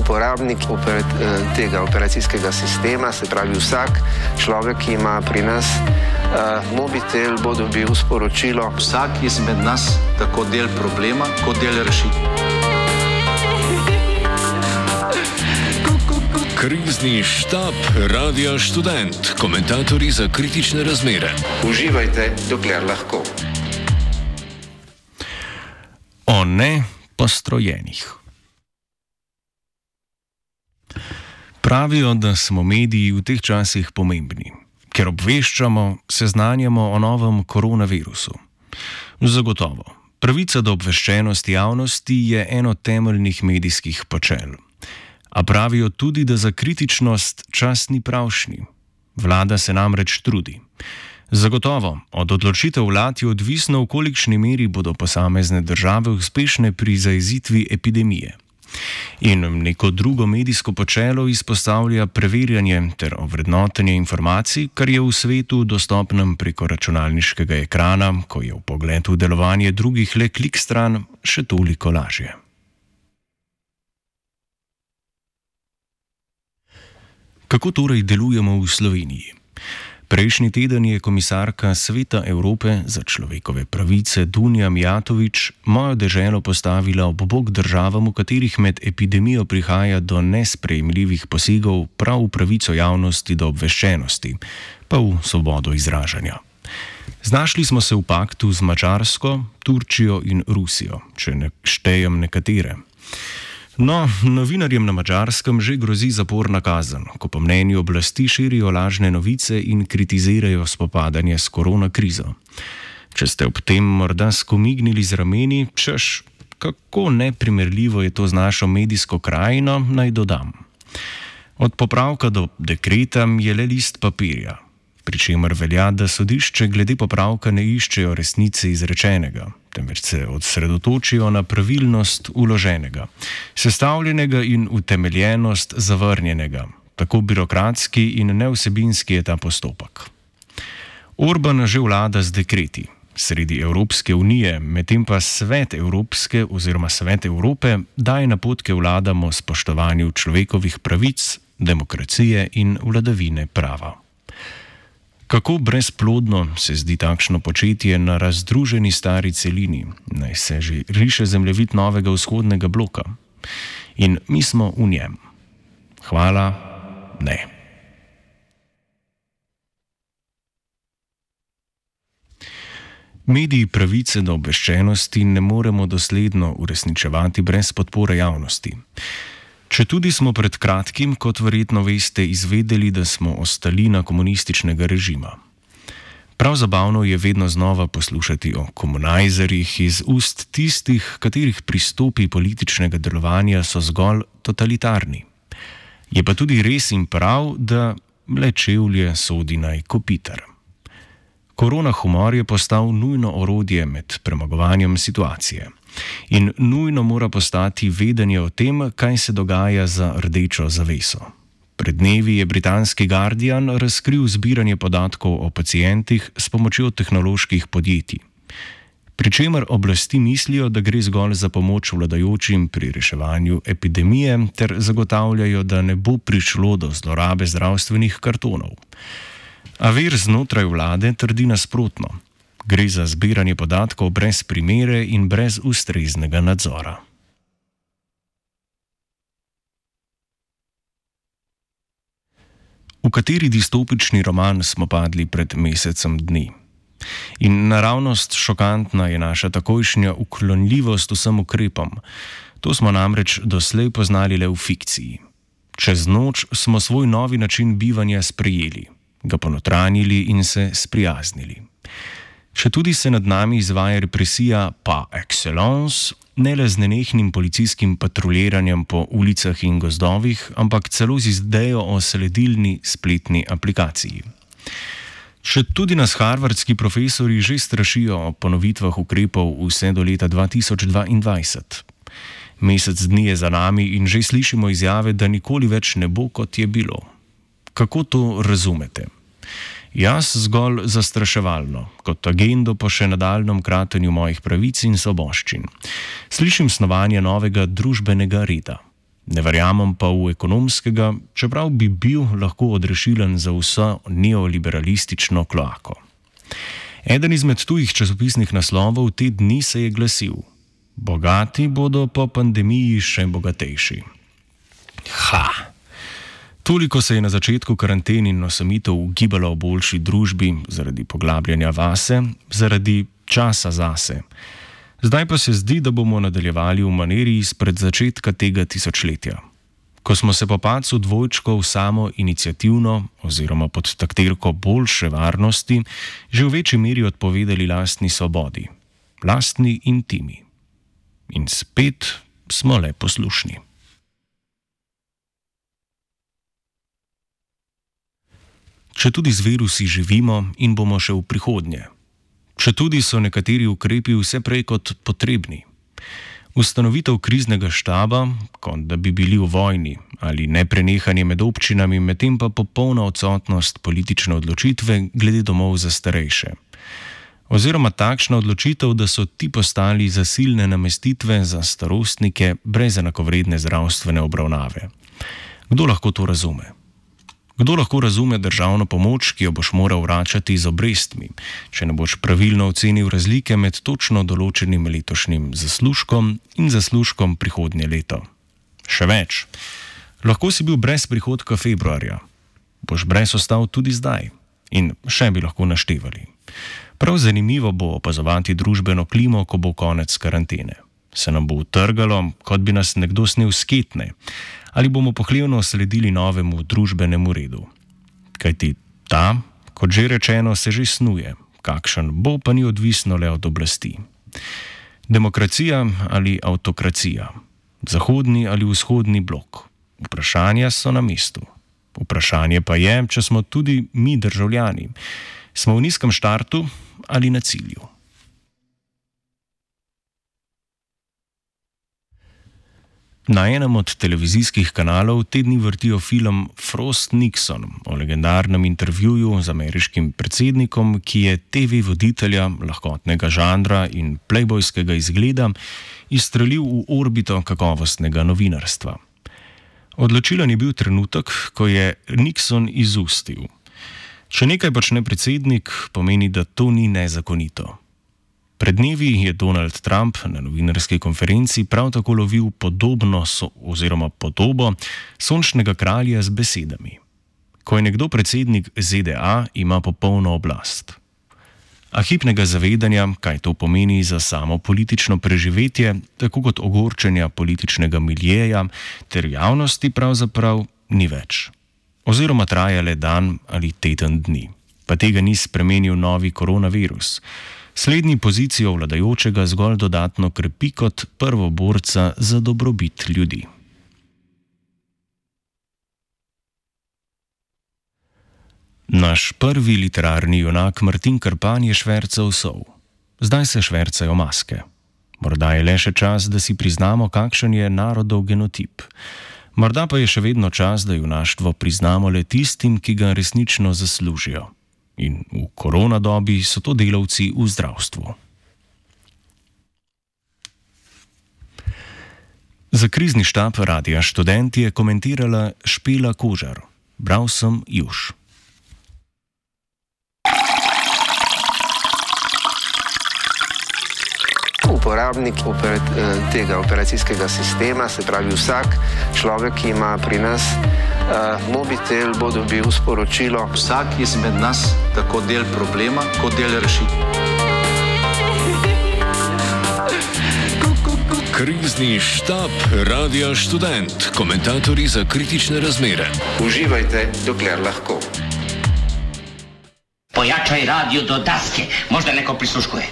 uporabnik tega operacijskega sistema, se pravi vsak človek, ki ima pri nas mobitel, bo dobil sporočilo. Vsak izmed nas tako del problema, kot del rešitve. Krizni štab Radia Študent, komentatorji za kritične razmere. Uživajte, dokler lahko. O nepostrojenih. Pravijo, da smo mediji v teh časih pomembni, ker obveščamo, seznanjamo o novem koronavirusu. Zagotovo, pravica do obveščenosti javnosti je eno temeljnih medijskih počel. A pravijo tudi, da za kritičnost čas ni pravšnji. Vlada se namreč trudi. Zagotovo, od odločitev vlad je odvisno, v kolikšni meri bodo posamezne države uspešne pri zajezitvi epidemije. In neko drugo medijsko počelo izpostavlja preverjanje ter ovrednotenje informacij, kar je v svetu dostopnem preko računalniškega ekrana, ko je vpogled v delovanje drugih le klik stran, še toliko lažje. Kako torej delujemo v Sloveniji? Prejšnji teden je komisarka Sveta Evrope za človekove pravice Dunja Mijatović mojo deželo postavila ob bok državam, v katerih med epidemijo prihaja do nesprejemljivih posegov prav v pravico javnosti do obveščenosti, pa v svobodo izražanja. Znašli smo se v paktu z Madžarsko, Turčijo in Rusijo, če ne štejem nekatere. No, novinarjem na Madžarskem že grozi zaporna kazen, ko po mnenju oblasti širijo lažne novice in kritizirajo spopadanje s koronakrizo. Če ste ob tem morda skomignili z rameni, češ, kako neprimerljivo je to z našo medijsko krajino, naj dodam. Od popravka do dekreta je le list papirja, pri čemer velja, da sodišče glede popravka ne iščejo resnice izrečenega, temveč se osredotočijo na pravilnost vloženega, sestavljenega in utemeljenost zavrnjenega. Tako birokratski in nevsebinski je ta postopek. Orban že vlada z dekreti sredi Evropske unije, medtem pa Svet Evropske oziroma Svet Evrope daje napotke vladam o spoštovanju človekovih pravic, demokracije in vladavine prava. Kako brezplodno se zdi takšno početje na razdruženi stari celini, naj se že riše zemljevid novega vzhodnega bloka. In mi smo v njem. Hvala, ne. Mediji pravice do obveščenosti ne moremo dosledno uresničevati brez podpore javnosti. Četudi smo pred kratkim, kot verjetno veste, izvedeli, da smo ostalina komunističnega režima. Prav zabavno je vedno znova poslušati o komunajzerjih iz ust tistih, katerih pristopi političnega delovanja so zgolj totalitarni. Je pa tudi res in prav, da le čevlje sodi naj kopitar. Korona humor je postal nujno orodje med premagovanjem situacije. In nujno mora postati vedenje o tem, kaj se dogaja za rdečo zaveso. Pred dnevi je britanski Guardian razkril zbiranje podatkov o pacientih s pomočjo tehnoloških podjetij. Pričemer oblasti mislijo, da gre zgolj za pomoč vladajočim pri reševanju epidemije ter zagotavljajo, da ne bo prišlo do zlorabe zdravstvenih kartonov. A vir znotraj vlade trdi nasprotno. Gre za zbiranje podatkov brez primere in brez ustreznega nadzora. V kateri distopični roman smo padli pred mesecem dni? In naravnost šokantna je naša takojšnja uklonljivost vsem ukrepom. To smo namreč doslej poznali le v fikciji. Čez noč smo svoj novi način bivanja sprejeli, ga ponotranjili in se sprijaznili. Če tudi se nad nami izvaja represija par excellence, ne le z nenehnim policijskim patruljiranjem po ulicah in gozdovih, ampak celo z idejo o sledilni spletni aplikaciji. Če tudi nas harvardski profesori že strašijo o ponovitvah ukrepov vse do leta 2022. Mesec dni je za nami in že slišimo izjave, da nikoli več ne bo, kot je bilo. Kako to razumete? Jaz zgolj zastraševalno, kot agendo po še nadaljnjem kratenju mojih pravic in svoboščin. Slišim snovanje novega družbenega reda. Ne verjamem pa v ekonomskega, čeprav bi bil lahko odrešilen za vso neoliberalistično kloako. Eden izmed tujih časopisnih naslovov te dni se je glasil: bogati bodo po pandemiji še bogatejši. Toliko se je na začetku karanten in osamitev ugibalo o boljši družbi zaradi poglabljanja vase, zaradi časa zase. Zdaj pa se zdi, da bomo nadaljevali v maniri izpred začetka tega tisočletja. Ko smo se po padcu dvojčkov samo iniciativno oziroma pod taktirko boljše varnosti že v večji meri odpovedali lastni svobodi, lastni intimi. In spet smo le poslušni. Četudi z virusi živimo in bomo še v prihodnje. Četudi so nekateri ukrepi vse prej kot potrebni. Ustanovitev kriznega štaba, kot da bi bili v vojni, ali neprenehanje med občinami, medtem pa popolna odsotnost politične odločitve glede domov za starejše. Oziroma takšna odločitev, da so ti postali zasilne namestitve za starostnike brez enakovredne zdravstvene obravnave. Kdo lahko to razume? Kdo lahko razume državno pomoč, ki jo boš moral vračati z obrestmi, če ne boš pravilno ocenil razlike med točno določenim letošnjim zaslužkom in zaslužkom prihodnje leto? Še več. Lahko si bil brez prihodka februarja. Boš brez ostal tudi zdaj. In še bi lahko naštevali. Prav zanimivo bo opazovati družbeno klimo, ko bo konec karantene. Se nam bo utrgalo, kot bi nas nekdo snel s ketne, ali bomo pohlevno sledili novemu družbenemu redu. Kajti ta, kot že rečeno, se že snuje, kakšen bo, pa ni odvisno le od oblasti. Demokracija ali avtokracija, zahodni ali vzhodni blok. Vprašanja so na mestu. Vprašanje pa je, če smo tudi mi državljani. Smo v nizkem štartu ali na cilju. Na enem od televizijskih kanalov te dni vrtijo film Frost Nixon o legendarnem intervjuju z ameriškim predsednikom, ki je TV voditelja lahkotnega žanra in playboyskega izgleda izstrelil v orbito kakovostnega novinarstva. Odločilen je bil trenutek, ko je Nixon izustil: če nekaj počne predsednik, pomeni, da to ni nezakonito. Pred dnevi je Donald Trump na novinarski konferenci prav tako lovil podobo sončnega kralja z besedami: ko je nekdo predsednik ZDA, ima popolno oblast. A hipnega zavedanja, kaj to pomeni za samo politično preživetje, tako kot ogorčenja političnega miljeja ter javnosti, pravzaprav ni več. Oziroma traja le dan ali teden dni. Pa tega ni spremenil novi koronavirus. Slednji pozicijo vladajočega zgolj dodatno krepi kot prvoborca za dobrobit ljudi. Naš prvi literarni junak Martin Krpan je švercal sol. Zdaj se švercajo maske. Morda je le še čas, da si priznamo, kakšen je narodov genotip. Morda pa je še vedno čas, da junaštvo priznamo le tistim, ki ga resnično zaslužijo. In v koronadobi so to delavci v zdravstvu. Za krizni štab Radia Študent je komentirala Špela Kožar. Bral sem Juš. Uporabnik tega operacijskega sistema, se pravi vsak človek, ki ima pri nas mobitel, bo dobil sporočilo. Vsak izmed nas tako del problema, kot del rešitve. Krizni štab Radia Študent. Komentatorji za kritične razmere. Uživajte, dokler lahko. Pojačaj radio do daske, možda neko prisluškuje.